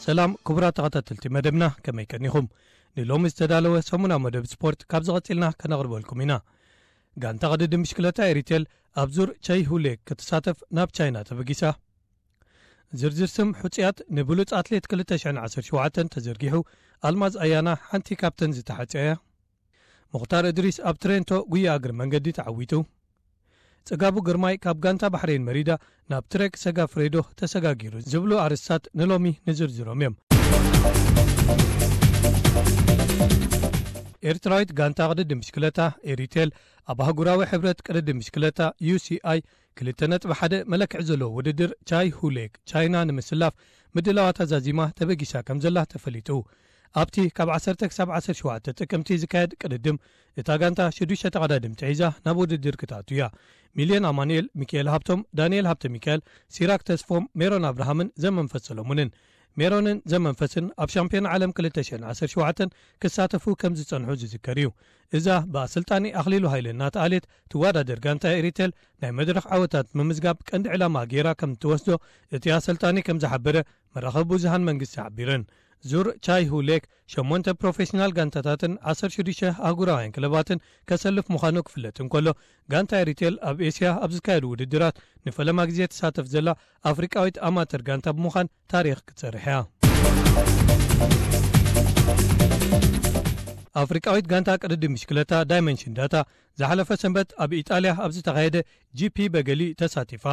ሰላም ክቡራት ተኸታተልቲ መደብና፣ ከመይ ቀኒኹም? ንሎሚ ዝተዳለወ ሰሙናዊ መደብ ስፖርት ካብ ዝቐጽልና ከነቕርበልኩም ኢና። ጋንታ ቅድድም ብሽክለታ ኤሪቴል ኣብ ዙር ቻይሁሌ ክትሳተፍ ናብ ቻይና ተበጊሳ። ዝርዝር ስም ሕጹያት ንብሉጽ ኣትሌት ክልተ ሽሕን ዓሰርተ ሸውዓተን ተዘርጊሑ፣ ኣልማዝ ኣያና ሓንቲ ካብተን ዝተሓጽያ እያ። ሙኽታር እድሪስ ኣብ ትሬንቶ ጉያ እግሪ መንገዲ ተዓዊቱ። ጽጋቡ ግርማይ ካብ ጋንታ ባሕሬን መሪዳ ናብ ትሬክ ሰጋፍሬዶ ተሰጋጊሩ ዝብሉ ኣርእስታት ንሎሚ ንዝርዝሮም እዮም። ኤርትራዊት ጋንታ ቅድድም ብሽክለታ ኤሪቴል ኣብ ኣህጉራዊ ሕብረት ቅድድም ብሽክለታ ዩ ሲ ኣይ ክልተ ነጥቢ ሓደ መለክዒ ዘለዎ ውድድር ቻይ ሁሌክ ቻይና ንምስላፍ ምድላዋታ ዛዚማ ተበጊሳ ከም ዘላ ተፈሊጡ። ኣብቲ ካብ ዓሰርተ ክሳብ ዓሰርተ ሸውዓተ ጥቅምቲ ዝካየድ ቅድድም፣ እታ ጋንታ ሽዱሽተ ተቐዳደምቲ ሒዛ ናብ ውድድር ክትኣቱ እያ። ሚልዮን ኣማኑኤል፣ ሚካኤል ሃብቶም፣ ዳንኤል ሃብተ ሚካኤል፣ ሲራክ ተስፎም፣ ሜሮን ኣብርሃምን ዘመንፈስ ሰሎሙንን። ሜሮንን ዘመንፈስን ኣብ ሻምፒዮን ዓለም ክልተ ሽሕን ዓሰርተ ሸውዓተን ክሳተፉ ከም ዝጸንሑ ዝዝከር እዩ። እዛ ብኣሰልጣኒ ኣኽሊሉ ሃይለ እናተኣልየት ትወዳደር ጋንታ ኤሪቴል፣ ናይ መድረኽ ዓወታት ምምዝጋብ ቀንዲ ዕላማ ገይራ ከም እትወስዶ እቲ ኣሰልጣኒ ከም ዝሓበረ መራኸቢ ብዙሃን መንግስቲ ሓቢረን። ዙር ቻይ ሁሌክ ሸሞንተ ፕሮፌሽናል ጋንታታትን ዓሰርተ ሽዱሽተ ኣህጉራውያን ክለባትን ከሰልፍ ምዃኑ ክፍለጥ እንከሎ፣ ጋንታ ኤሪቴል ኣብ ኤስያ ኣብ ዝካየዱ ውድድራት ንፈለማ ግዜ ትሳተፍ ዘላ ኣፍሪቃዊት ኣማተር ጋንታ ብምዃን ታሪኽ ክትሰርሕ እያ። ኣፍሪቃዊት ጋንታ ቅድድም ብሽክለታ ዳይመንሽን ዳታ ዝሓለፈ ሰንበት ኣብ ኢጣልያ ኣብ ዝተኻየደ ጂ ፒ በገሊ ተሳቲፋ።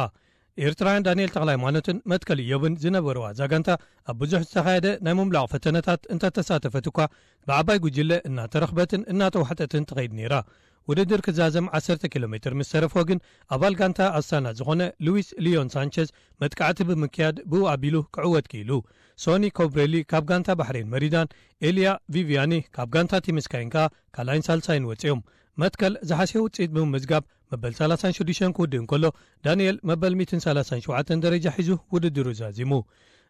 ኤርትራውያን ዳንኤል ተኽለሃይማኖትን መትከል ኢዮብን ዝነበርዋ እዛ ጋንታ ኣብ ብዙሕ ዝተኻየደ ናይ ምምላቕ ፈተነታት እንተተሳተፈት እኳ፣ ብዓባይ ጉጅለ እናተረኽበትን እናተዋሕጠትን ትኸይድ ነይራ። ውድድር ክዛዘም ዓሰርተ ኪሎ ሜትር ምስ ተረፎ ግን፣ ኣባል ጋንታ ኣስታና ዝኾነ ሉዊስ ሊዮን ሳንቸዝ መጥቃዕቲ ብምክያድ ብኡ ኣቢሉ ክዕወት ክኢሉ። ሶኒ ኮብሬሊ ካብ ጋንታ ባሕሬን መሪዳን፣ ኤልያ ቪቪያኒ ካብ ጋንታ ቲም ስካይን ከኣ ካልኣይን ሳልሳይን ወጺኦም። መትከል ዝሓሸ ውጽኢት ብምምዝጋብ መበል ሰላሳን ሽዱሽተን ክውድእ እንከሎ፣ ዳንኤል መበል ሚእትን ሰላሳን ሸውዓተን ደረጃ ሒዙ ውድድሩ ዛዚሙ።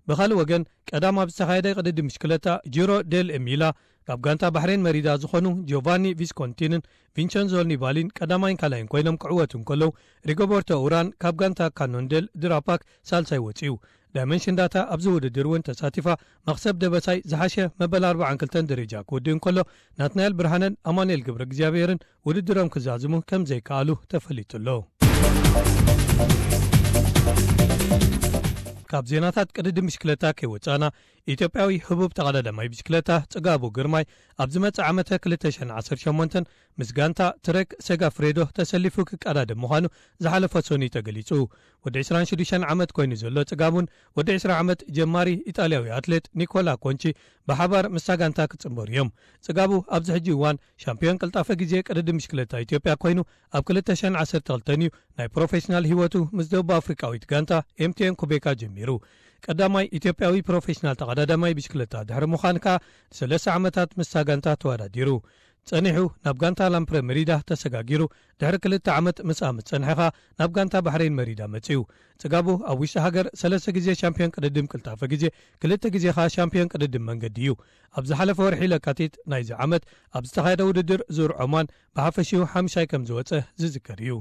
ብኻልእ ወገን፣ ቀዳም ኣብ ዝተኻየደ ቅድድም ብሽክለታ ጂሮ ዴል ኤሚላ፣ ካብ ጋንታ ባሕሬን መሪዳ ዝኾኑ ጆቫኒ ቪስኮንቲንን ቪንቸንዞ ኒባሊን ቀዳማይን ካልኣይን ኮይኖም ክዕወቱ እንከለዉ፣ ሪጎበርቶ ኡራን ካብ ጋንታ ካኖንዴል ድራፓክ ሳልሳይ ወጺኡ። ዳይመንሽን ዳታ ኣብዚ ውድድር እውን ተሳቲፋ፣ መኽሰብ ደበሳይ ዝሓሸ መበል ኣርባዓን ክልተን ደረጃ ክውድእ እንከሎ፣ ናትናኤል ብርሃነን ኣማኑኤል ገብረ እግዚኣብሔርን ውድድሮም ክዛዝሙ ከም ዘይከኣሉ ተፈሊጡ ኣሎ። ካብ ዜናታት ቅድድም ብሽክለታ ከይወጻና፣ ኢትዮጵያዊ ህቡብ ተቐዳዳማይ ብሽክለታ ጽጋቡ ግርማይ ኣብ ዝመጽእ ዓመተ ክልተ ሽሕን ዓሰርተ ሸሞንተን ምስ ጋንታ ትረክ ሴጋፍሬዶ ተሰሊፉ ክቀዳደም ምዃኑ ዝሓለፈ ሰኑይ ተገሊጹ። ወዲ ዕስራን ሽዱሽተን ዓመት ኮይኑ ዘሎ ጽጋቡን ወዲ ዕስራ ዓመት ጀማሪ ኢጣልያዊ ኣትሌት ኒኮላ ኮንቺ ብሓባር ምስታ ጋንታ ክጽንበሩ እዮም። ጽጋቡ ኣብዚ ሕጂ እዋን ሻምፒዮን ቅልጣፈ ግዜ ቅድድም ብሽክለታ ኢትዮጵያ ኮይኑ፣ ኣብ ክልተ ሽሕን ዓሰርተ ክልተን እዩ ናይ ፕሮፌሽናል ህይወቱ ምስ ደቡብ ኣፍሪቃዊት ጋንታ ኤም ቲ ኤን ኩቤካ ጀሚሩ። ቀዳማይ ኢትዮጵያዊ ፕሮፌሽናል ተቐዳዳማይ ብሽክለታ ድሕሪ ምዃን ከኣ ንሰለስተ ዓመታት ምስታ ጋንታ ተወዳዲሩ። ጸኒሑ ናብ ጋንታ ላምፕረ መሪዳ ተሰጋጊሩ፣ ድሕሪ ክልተ ዓመት ምስኣ ምስ ጸንሐ ከኣ ናብ ጋንታ ባሕሬን መሪዳ መጺኡ። ጽጋቡ ኣብ ውሽጢ ሃገር ሰለስተ ግዜ ሻምፒዮን ቅድድም ቅልጣፈ ግዜ፣ ክልተ ግዜ ከኣ ሻምፒዮን ቅድድም መንገዲ እዩ። ኣብ ዝሓለፈ ወርሒ ለካቲት ናይዚ ዓመት ኣብ ዝተኻየደ ውድድር ዙር ዖማን ብሓፈሽኡ ሓምሻይ ከም ዝወጸ ዝዝከር እዩ።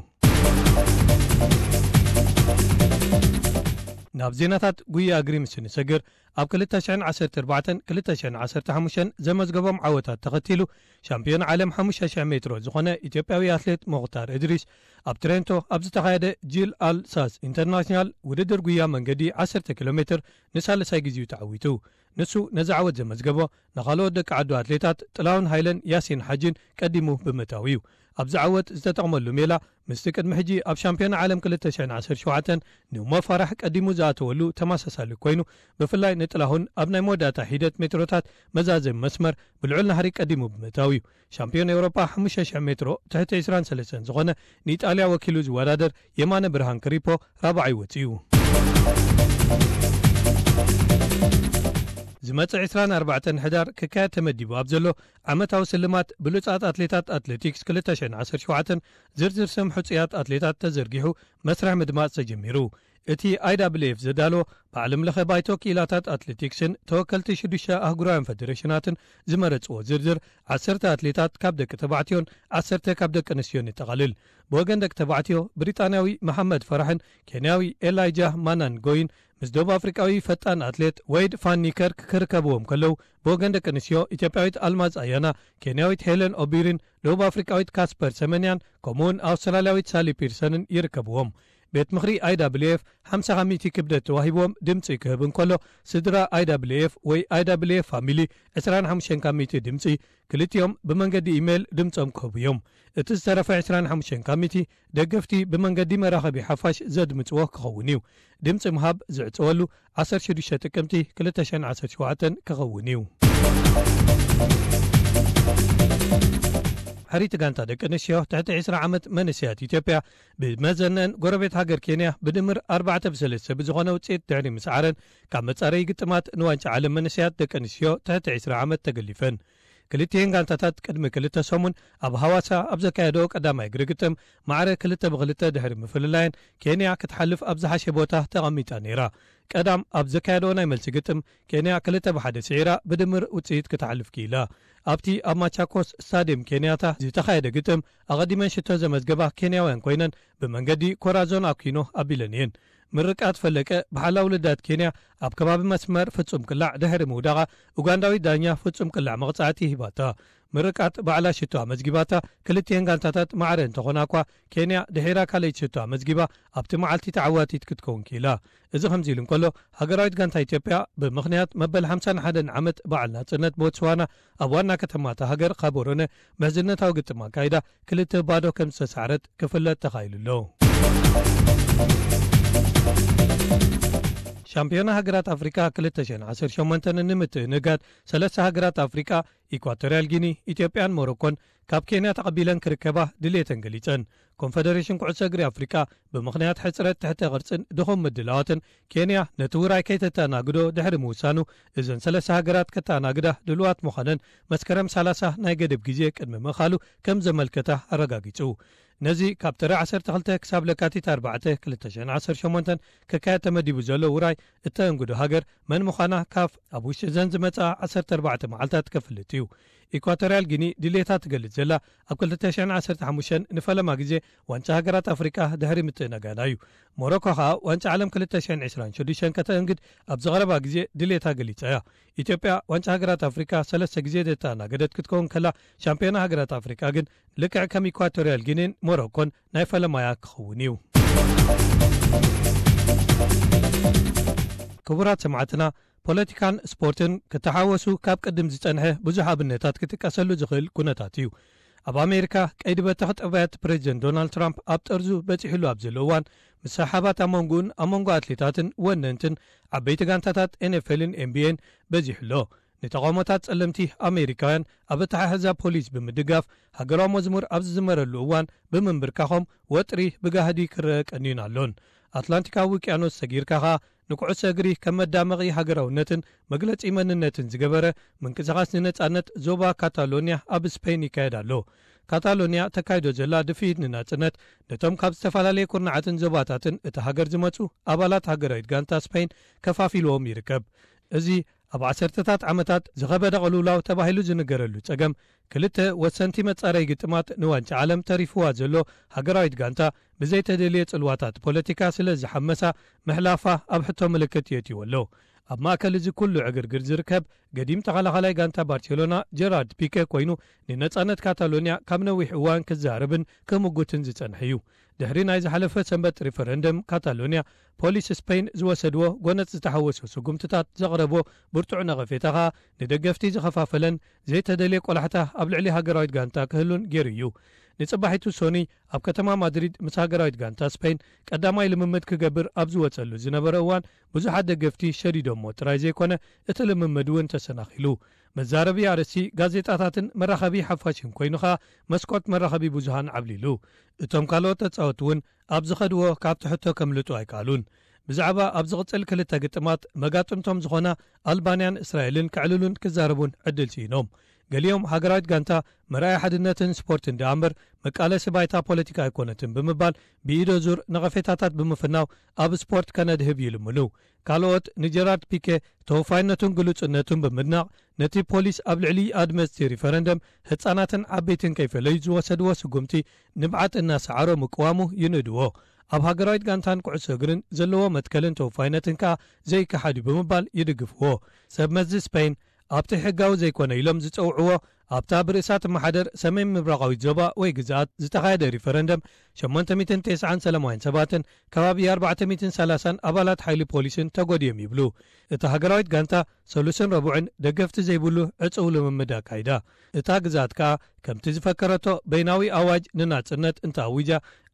ናብ ዜናታት ጉያ እግሪ ምስ እንሰግር፣ ኣብ ክልተ ሽሕን ዓሰርተ ኣርባዕተን ክልተ ሽሕን ዓሰርተ ሓሙሽተን ዘመዝገቦም ዓወታት ተኸቲሉ፣ ሻምፒዮን ዓለም ሓሙሽተ ሽሕ ሜትሮ ዝኾነ ኢትዮጵያዊ ኣትሌት ሞኽታር እድሪስ፣ ኣብ ትሬንቶ ኣብ ዝተኻየደ ጂል ኣል ሳስ ኢንተርናሽናል ውድድር ጉያ መንገዲ ዓሰርተ ኪሎ ሜትር ንሳልሳይ ግዜኡ ተዓዊቱ። ንሱ ነዚ ዓወት ዘመዝገቦ ንኻልኦት ደቂ ዓዱ ኣትሌታት ጥላሁን ሃይለን ያሲን ሓጂን ቀዲሙ ብምእታው እዩ። ኣብዚ ዓወት ዝተጠቕመሉ ሜላ፣ ምስቲ ቅድሚ ሕጂ ኣብ ሻምፒዮን ዓለም ክልተ ሽሕን ዓሰርተ ሸውዓተን ንኡሞ ፋራሕ ቀዲሙ ዝኣተወሉ ተመሳሳሊ ኮይኑ፣ ብፍላይ ንጥላሁን ኣብ ናይ መወዳእታ ሒደት ሜትሮታት መዛዘሚ መስመር ብልዑል ናህሪ ቀዲሙ ብምእታው እዩ። ሻምፒዮን ኤውሮጳ ሓሙሽተ ሽሕ ሜትሮ ትሕቲ ዕስራን ሰለስተን ዝኾነ ንኢጣልያ ወኪሉ ዝወዳደር የማነ ብርሃን ክሪፖ ራብዓይ ወጺኡ። ዝመጽእ ዕስራን ኣርባዕተን ሕዳር ክካየድ ተመዲቡ ኣብ ዘሎ ዓመታዊ ስልማት ብሉጻት ኣትሌታት ኣትሌቲክስ ክልተ ሽሕን ዓሰርተ ሸውዓተን ዝርዝር ስም ሕጹያት ኣትሌታት ተዘርጊሑ መስርሕ ምድማጽ ተጀሚሩ። እቲ ኣይ ዳብልዩ ኤፍ ዘዳለዎ፣ ብዓለም ለኸ ባይቶ ክኢላታት ኣትሌቲክስን ተወከልቲ ሽዱሽተ ኣህጉራውያን ፈደሬሽናትን ዝመረጽዎ ዝርዝር፣ ዓሰርተ ኣትሌታት ካብ ደቂ ተባዕትዮን ዓሰርተ ካብ ደቂ ኣንስትዮን የጠቓልል። ብወገን ደቂ ተባዕትዮ፣ ብሪጣንያዊ መሓመድ ፈራሕን ኬንያዊ ኤላይጃ ማናንጎይን ምስ ደቡብ ኣፍሪቃዊ ፈጣን ኣትሌት ወይድ ፋን ኒከርክ ክርከብዎም ከለዉ፣ ብወገን ደቂ ኣንስትዮ፣ ኢትዮጵያዊት ኣልማዝ ኣያና፣ ኬንያዊት ሄለን ኦቢሪን ደቡብ ኣፍሪቃዊት ካስፐር ሰመንያን፣ ከምኡውን ኣውስትራልያዊት ሳሊ ፒርሰንን ይርከብዎም። ቤት ምኽሪ ኣይ ዳብልዩ ኤፍ ሓምሳ ካብ ሚእቲ ክብደት ተዋሂብዎም ድምጺ ክህብ እንከሎ፣ ስድራ ኣይ ዳብልዩ ኤፍ ወይ ኣይ ዳብልዩ ኤፍ ፋሚሊ ዕስራን ሓሙሽተን ካብ ሚእቲ ድምጺ፣ ክልቲኦም ብመንገዲ ኢሜይል ድምጾም ክህቡ እዮም። እቲ ዝተረፈ ዕስራን ሓሙሽተን ካብ ሚእቲ ደገፍቲ ብመንገዲ መራኸቢ ሓፋሽ ዘድምጽዎ ክኸውን እዩ። ድምጺ ምሃብ ዝዕጸወሉ ዓሰርተ ሽዱሽተ ጥቅምቲ ክልተ ሽሕን ዓሰርተ ሸውዓተን ክኸውን እዩ። ሕሪቲ ጋንታ ደቂ ኣንስትዮ ትሕቲ ዕስራ ዓመት መንእሰያት ኢትዮጵያ፣ ብመዘነን ጎረቤት ሃገር ኬንያ ብድምር ኣርባዕተ ብሰለስተ ብዝኾነ ውጽኢት ድሕሪ ምስዓረን፣ ካብ መጻረዪ ግጥማት ንዋንጫ ዓለም መንእሰያት ደቂ ኣንስትዮ ትሕቲ ዕስራ ዓመት ተገሊፈን። ክልቲኤን ጋንታታት ቅድሚ ክልተ ሰሙን ኣብ ሃዋሳ ኣብ ዘካየደኦ ቀዳማይ እግሪ ግጥም፣ ማዕረ ክልተ ብክልተ ድሕሪ ምፍልላየን፣ ኬንያ ክትሓልፍ ኣብ ዝሓሸ ቦታ ተቐሚጣ ነይራ። ቀዳም ኣብ ዘካየደኦ ናይ መልሲ ግጥም፣ ኬንያ ክልተ ብሓደ ስዒራ ብድምር ውጽኢት ክትሓልፍ ክኢላ። ኣብቲ ኣብ ማቻኮስ ስታድየም ኬንያታ ዝተኻየደ ግጥም፣ ኣቐዲመን ሽቶ ዘመዝገባ ኬንያውያን ኮይነን፣ ብመንገዲ ኮራዞን ኣኩኖ ኣቢለን እየን። ምርቃት ፈለቀ፣ ብሓላው ልዳት ኬንያ፣ ኣብ ከባቢ መስመር ፍጹም ቅላዕ ድሕሪ ምውዳቓ፣ ኡጋንዳዊት ዳኛ ፍጹም ቅላዕ መቕጻዕቲ ሂባታ። ምርቃት ባዕላ ሽቶ ኣመዝጊባታ፣ ክልቲኤን ጋንታታት ማዕረ እንተኾና እኳ፣ ኬንያ ድሒራ ካልኣይቲ ሽቶ ኣመዝጊባ፣ ኣብቲ መዓልቲ ተዓዋቲት ክትከውን ክኢላ። እዚ ከምዚ ኢሉ እንከሎ፣ ሃገራዊት ጋንታ ኢትዮጵያ፣ ብምኽንያት መበል ሓምሳን ሓደን ዓመት በዓል ናጽነት ቦትስዋና፣ ኣብ ዋና ከተማ እታ ሃገር ጋቦሮነ፣ ምሕዝነታዊ ግጥም ኣካይዳ፣ ክልተ ባዶ ከም ዝተሳዕረት ክፍለጥ ተኻኢሉ ኣሎ። ሻምፒዮና ሃገራት ኣፍሪቃ ክልተ ሽሕን ዓሰርተ ሸሞንተን ንምትእንጋድ፣ ሰለስተ ሃገራት ኣፍሪቃ፣ ኢኳቶርያል ጊኒ፣ ኢትዮጵያን ሞሮኮን፣ ካብ ኬንያ ተቐቢለን ክርከባ ድሌተን ገሊጸን። ኮንፈደሬሽን ኩዕሶ እግሪ ኣፍሪቃ፣ ብምኽንያት ሕጽረት ትሕተ ቅርጽን ድኹም ምድላዋትን፣ ኬንያ ነቲ ውራይ ከይተተኣናግዶ ድሕሪ ምውሳኑ፣ እዘን ሰለስተ ሃገራት ከተኣናግዳ ድሉዋት ምዃነን፣ መስከረም ሰላሳ ናይ ገደብ ግዜ ቅድሚ ምእኻሉ ከም ዘመልከታ ኣረጋጊጹ። ነዚ ካብ ጥሪ ዓሰርተ ክልተ ክሳብ ለካቲት ኣርባዕተ ክልተ ሽሕን ዓሰርተ ሸሞንተን ክካየድ ተመዲቡ ዘሎ ውራይ እተእንግዶ ሃገር መን ምዃና፣ ካፍ ኣብ ውሽጢ እዘን ዝመጽኣ ዓሰርተ ኣርባዕተ መዓልታት ከፍልጥ እዩ። ኢኳቶርያል ጊኒ ድሌታ ትገልጽ ዘላ፣ ኣብ ክልተ ሽሕን ዓሰርተ ሓሙሽተን ንፈለማ ግዜ ዋንጫ ሃገራት ኣፍሪቃ ድሕሪ ምትእንጋዳ እዩ። ሞሮኮ ከኣ ዋንጫ ዓለም ክልተ ሽሕን ዕስራን ሽዱሽተን ከተእንግድ ኣብ ዝቐረባ ግዜ ድሌታ ገሊጻ እያ። ኢትዮጵያ ዋንጫ ሃገራት ኣፍሪቃ ሰለስተ ግዜ ዘተኣናገደት ክትከውን ከላ፣ ሻምፒዮና ሃገራት ኣፍሪቃ ግን ልክዕ ከም ኢኳቶርያል ጊኒን ሞሮኮን ናይ ፈለማያ ክኸውን እዩ። ክቡራት ሰማዕትና፣ ፖለቲካን ስፖርትን ክተሓወሱ ካብ ቅድም ዝጸንሐ ብዙሕ ኣብነታት ክጥቀሰሉ ዝኽእል ኩነታት እዩ። ኣብ ኣሜሪካ፣ ቀይዲ በተኽ ጠባያት ፕሬዚደንት ዶናልድ ትራምፕ ኣብ ጠርዙ በጺሕሉ ኣብ ዘሎ እዋን፣ ምስሕሓባት ኣብ መንጎኡን ኣብ መንጎ ኣትሌታትን ወነንትን ዓበይቲ ጋንታታት ኤን ኤፍ ኤልን ኤን ቢ ኤን በዚሑ ኣሎ። ንተቓውሞታት ጸለምቲ ኣሜሪካውያን ኣብ ኣተሓሕዛ ፖሊስ ብምድጋፍ፣ ሃገራዊ መዝሙር ኣብ ዝዝመረሉ እዋን ብምንብርካኾም፣ ወጥሪ ብጋህዲ ክረአ ቀንዩን ኣሎን። ኣትላንቲካዊ ውቅያኖስ ሰጊርካ ኸኣ፣ ንኩዕሶ እግሪ ከም መዳመቒ ሃገራውነትን መግለጺ መንነትን ዝገበረ ምንቅስቓስ ንነጻነት ዞባ ካታሎንያ ኣብ ስፔን ይካየድ ኣሎ። ካታሎንያ ተካይዶ ዘላ ድፍኢት ንናጽነት፣ ነቶም ካብ ዝተፈላለየ ኩርናዓትን ዞባታትን እታ ሃገር ዝመጹ ኣባላት ሃገራዊት ጋንታ ስፔን ከፋፊልዎም ይርከብ። እዚ ኣብ ዓሰርተታት ዓመታት ዝኸበደ ቅልውላው ተባሂሉ ዝንገረሉ ጸገም፣ ክልተ ወሰንቲ መጻረዪ ግጥማት ንዋንጫ ዓለም ተሪፍዋ ዘሎ ሃገራዊት ጋንታ፣ ብዘይተደልየ ጽልዋታት ፖለቲካ ስለ ዝሓመሳ፣ ምሕላፋ ኣብ ሕቶ ምልክት የእትይዎ ኣሎ። ኣብ ማእከል እዚ ኩሉ ዕግርግር ዝርከብ፣ ገዲም ተኸላኻላይ ጋንታ ባርሴሎና ጀራርድ ፒከ ኮይኑ፣ ንነጻነት ካታሎንያ ካብ ነዊሕ እዋን ክዛረብን ክምጉትን ዝጸንሐ እዩ። ድሕሪ ናይ ዝሓለፈ ሰንበት ሪፈረንደም ካታሎንያ፣ ፖሊስ ስፔን ዝወሰድዎ ጎነጽ ዝተሓወሶ ስጉምትታት ዘቕረቦ ብርቱዕ ነቐፌታ ኸኣ፣ ንደገፍቲ ዝኸፋፈለን ዘይተደልየ ቆላሕታ ኣብ ልዕሊ ሃገራዊት ጋንታ ክህሉን ገይሩ እዩ። ንጽባሒቱ ሶኒ፣ ኣብ ከተማ ማድሪድ ምስ ሃገራዊት ጋንታ ስፔን ቀዳማይ ልምምድ ክገብር ኣብ ዝወጸሉ ዝነበረ እዋን፣ ብዙሓት ደገፍቲ ሸዲዶሞ ጥራይ ዘይኮነ፣ እቲ ልምምድ እውን ተሰናኺሉ። መዛረቢ ኣርእስቲ ጋዜጣታትን መራኸቢ ሓፋሽን ኮይኑ ኸኣ፣ መስኮት መራኸቢ ብዙሃን ዓብሊሉ። እቶም ካልኦት ተጻወትቲ እውን ኣብ ዝኸድዎ ካብቲ ሕቶ ከምልጡ ኣይከኣሉን። ብዛዕባ ኣብ ዝቕጽል ክልተ ግጥማት መጋጥምቶም ዝኾና ኣልባንያን እስራኤልን ከዕልሉን ክዛረቡን ዕድል ስኢኖም። ገሊኦም ሃገራዊት ጋንታ መርኣያ ሓድነትን ስፖርትን ደኣ እምበር መቃለሲ ባይታ ፖለቲካ ኣይኮነትን ብምባል ብኢዶ ዙር ነቐፌታታት ብምፍናው ኣብ ስፖርት ከነድህብ ይልምሉ። ካልኦት ንጀራርድ ፒኬ ተወፋይነቱን ግሉጽነቱን ብምድናቕ ነቲ ፖሊስ ኣብ ልዕሊ ኣድመፅቲ ሪፈረንደም ህፃናትን ዓበይትን ከይፈለዩ ዝወሰድዎ ስጉምቲ ንብዓት እናሰዓሮ ምቅዋሙ ይንእድዎ። ኣብ ሃገራዊት ጋንታን ኩዕሶ እግርን ዘለዎ መትከልን ተወፋይነትን ከኣ ዘይከሓድ እዩ ብምባል ይድግፍዎ። ሰብ መዚ ስፔን ኣብቲ ሕጋዊ ዘይኮነ ኢሎም ዝጸውዕዎ ኣብታ ብርእሳ ትመሓደር ሰሜን ምብራቓዊት ዞባ ወይ ግዝኣት ዝተኻየደ ሪፈረንደም ሸሞንተ ሚእትን ተስዓን ሰላማውያን ሰባትን ከባቢ ኣርባዕተ ሚእትን ሰላሳን ኣባላት ሓይሊ ፖሊስን ተጎድዮም ይብሉ። እታ ሃገራዊት ጋንታ ሰሉስን ረቡዕን ደገፍቲ ዘይብሉ ዕጹው ልምምድ ኣካይዳ። እታ ግዝኣት ከኣ ከምቲ ዝፈከረቶ በይናዊ ኣዋጅ ንናጽነት እንተኣዊጃ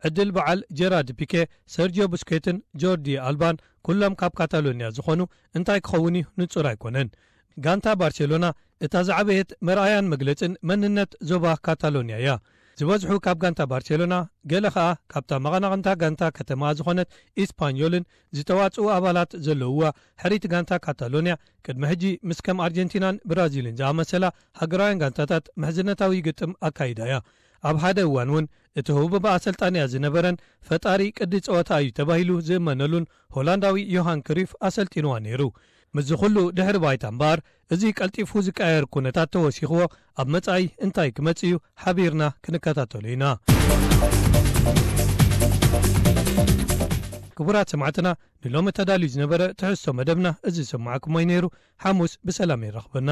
ዕድል በዓል ጀራርድ ፒኬ፣ ሰርጂዮ ቡስኬትን ጆርዲ ኣልባን ኩሎም ካብ ካታሎንያ ዝኾኑ እንታይ ክኸውን እዩ ንጹር ኣይኮነን። ጋንታ ባርሴሎና እታ ዝዓበየት መርኣያን መግለጽን መንነት ዞባ ካታሎንያ እያ። ዝበዝሑ ካብ ጋንታ ባርሴሎና፣ ገለ ኸኣ ካብታ መቐናቕንታ ጋንታ ከተማ ዝኾነት ኢስፓኞልን ዝተዋጽኡ ኣባላት ዘለውዋ ሕሪት ጋንታ ካታሎንያ ቅድሚ ሕጂ ምስ ከም ኣርጀንቲናን ብራዚልን ዝኣመሰላ ሃገራውያን ጋንታታት ምሕዝነታዊ ግጥም ኣካይዳ እያ። ኣብ ሓደ እዋን እውን እቲ ህቡብ ኣሰልጣንያ ዝነበረን ፈጣሪ ቅዲ ጸወታ እዩ ተባሂሉ ዝእመነሉን ሆላንዳዊ ዮሃን ክሪፍ ኣሰልጢንዋ ነይሩ። ምስዚ ኩሉ ድሕሪ ባይታ እምበኣር፣ እዚ ቀልጢፉ ዝቀያየር ኩነታት ተወሲኽዎ ኣብ መጻኢ እንታይ ክመጽእ እዩ ሓቢርና ክንከታተሎ ኢና። ክቡራት ሰማዕትና፣ ንሎሚ ተዳልዩ ዝነበረ ትሕዝቶ መደብና እዚ ዝሰማዕኩሞ እዩ ነይሩ። ሓሙስ ብሰላም ይረኽበና።